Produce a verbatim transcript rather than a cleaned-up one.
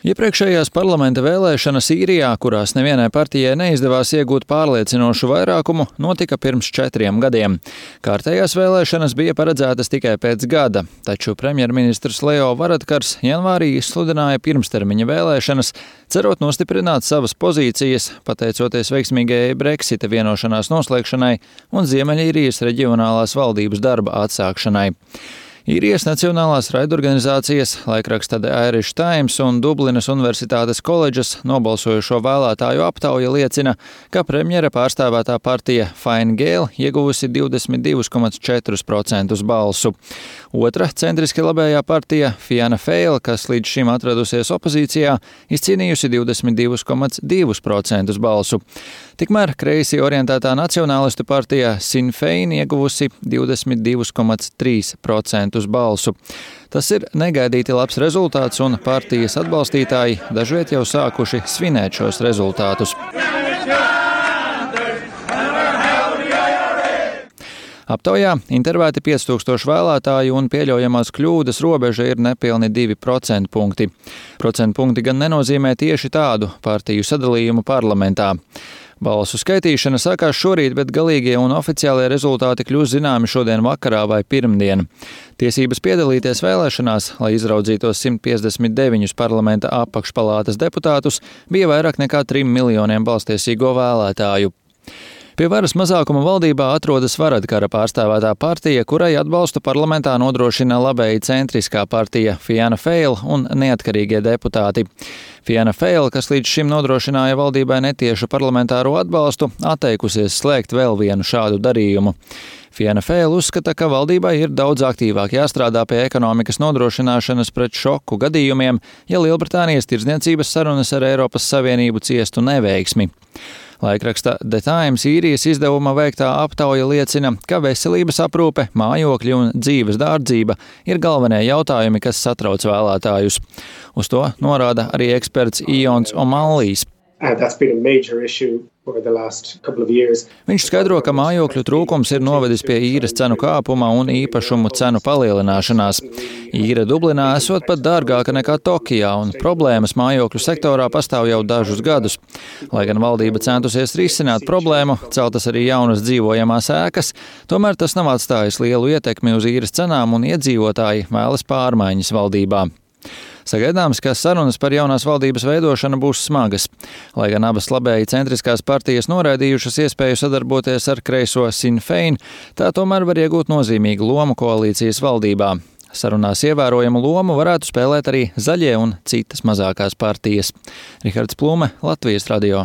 Iepriekšējās parlamenta vēlēšanas Īrijā, kurās nevienai partijai neizdevās iegūt pārliecinošu vairākumu, notika pirms četriem gadiem. Kārtējās vēlēšanas bija paredzētas tikai pēc gada, taču premjerministrs Leo Varadkars janvārī izsludināja pirmstermiņa vēlēšanas, cerot nostiprināt savas pozīcijas, pateicoties veiksmīgajai Brexita vienošanās noslēgšanai un Ziemeļīrijas reģionālās valdības darba atsākšanai. Īrijas nacionālās raidorganizācijas, laikraksta The Irish Times un Dublinas Universitātes koledžas nobalsojušo vēlētāju aptauja liecina, ka premjera pārstāvētā partija Fine Gael ieguvusi divdesmit divi komats četri procenti balsu. Otra centriski labējā partija Fianna Fáil, kas līdz šim atradusies opozīcijā, izcīnījusi divdesmit divi komats divi procenti balsu. Tikmēr kreisi orientētā nacionālistu partija Sinn Féin ieguvusi divdesmit divi komats trīs procenti balsu. Tas ir negaidīti labs rezultāts, un partijas atbalstītāji dažviet jau sākuši svinēt šos rezultātus. Aptaujā intervēti pieci tūkstoši vēlētāju, un pieļaujamās kļūdas robeža ir nepilni divi procentpunkti. Procentpunkti gan nenozīmē tieši tādu partiju sadalījumu parlamentā. Balsu skaitīšana sākās šorīt, bet galīgie un oficiālie rezultāti kļūs zināmi šodien vakarā vai pirmdien. Tiesības piedalīties vēlēšanās, lai izraudzītos simt piecdesmit deviņus parlamenta apakšpalātas deputātus, bija vairāk nekā trim miljoniem balstiesīgo vēlētāju. Pie varas mazākuma valdībā atrodas Varadkara pārstāvētā partija, kurai atbalstu parlamentā nodrošina labēji centriskā partija Fianna Fáil un neatkarīgie deputāti. Fianna Fáil, kas līdz šim nodrošināja valdībai netiešu parlamentāro atbalstu, atteikusies slēgt vēl vienu šādu darījumu. Fianna Fáil uzskata, ka valdībai ir daudz aktīvāk jāstrādā pie ekonomikas nodrošināšanas pret šoku gadījumiem, ja Lielbritānijas tirdzniecības sarunas ar Eiropas Savienību ciestu neveiksmi. Laikraksta The Times Īrijas izdevuma veiktā aptauja liecina, ka veselības aprūpe, mājokļi un dzīves dārdzība ir galvenie jautājumi, kas satrauc vēlētājus. Uz to norāda arī eksperts Ions O'Mallijs. Viņš skaidro, ka mājokļu trūkums ir novedis pie īres cenu kāpuma un īpašumu cenu palielināšanās. Īre Dublinā esot pat dārgāka nekā Tokijā, un problēmas mājokļu sektorā pastāv jau dažus gadus. Lai gan valdība centusies risināt problēmu, celtas arī jaunas dzīvojamās ēkas, tomēr tas nav atstājis lielu ietekmi uz īres cenām, un iedzīvotāji vēlas pārmaiņas valdībā. Sagaidāms, ka sarunas par jaunās valdības veidošanu būs smagas. Lai gan abas labēji centriskās partijas noraidījušas iespēju sadarboties ar kreiso Sinn Féin, tā tomēr var iegūt nozīmīgu lomu koalīcijas valdībā. Sarunās ievērojamu lomu varētu spēlēt arī zaļie un citas mazākās partijas. Rihards Plume, Latvijas radio.